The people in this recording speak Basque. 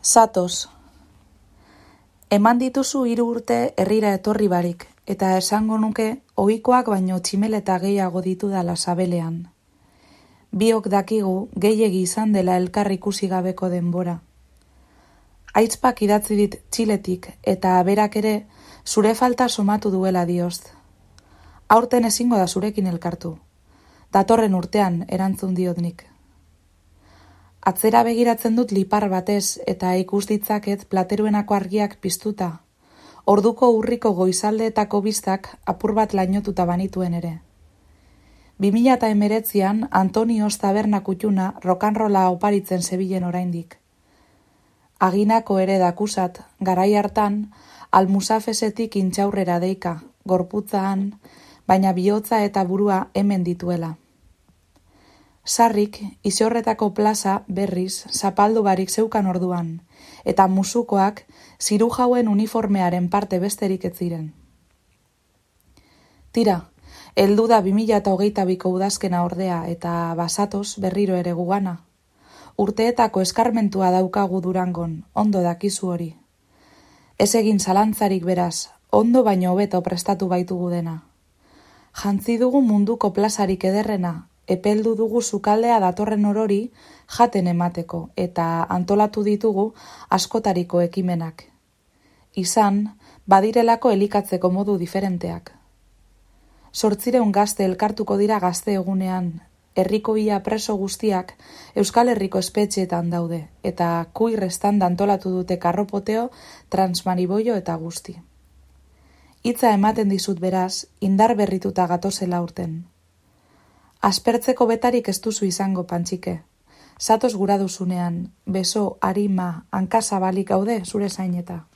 Zatoz. Eman dituzu 3 urte herrira etorri barik, eta esango nuke ohikoak baino tximeleta gehiago ditudala sabelean. Biok dakigu gehiegi izan dela elkar ikusi gabeko denbora. Aitzpak idatzi dit Txiletik eta berak ere zure falta somatu duela dioz. Aurten ezingo da zurekin elkartu. Datorren urtean erantzun diot nik. Atzera begiratzen dut lipar batez eta ikus ditzaket plateruenako argiak piztuta. Orduko urriko goizaldeetako biztak apur bat lainotuta banituen ere. 2019an Antonioz taberna kutxuna rokanrola oparitzen zebilen oraindik. Aginako ere dakusat, garai hartan, Almusafesetik intxaurrera deika, gorputzaan, baina bihotza eta burua hemen dituela. Sarrik, Iziorretako plaza berriz zapaldu barik zeukan orduan, eta musukoak zirujauen uniformearen parte besterik ez ziren. Tira, heldu da 2022ko udazkena ordea eta bazatoz berriro ere gugana. Urteetako eskarmentua daukagu Durangon, ondo dakizu hori. Ez egin zalantzarik beraz, ondo baino hobeto prestatu baitugu dena. Jantzi dugu munduko plazarik ederrena, epeldu dugu sukaldea datorren orori jaten emateko eta antolatu ditugu askotariko ekimenak. Izan, badirelako elikatzeko modu diferenteak. 800 gazte elkartuko dira gazte egunean, herriko ia preso guztiak Euskal Herriko espetxeetan daude, eta kuir estanda antolatu dute karropoteo, transmariboio eta guzti. Hitza ematen dizut beraz, indar berrituta gatozela urten. Aspertzeko betarik ez duzu izango, Pantxike. Zatoz gura duzunean, beso, arima, hankazabalik gaude zure zaineta.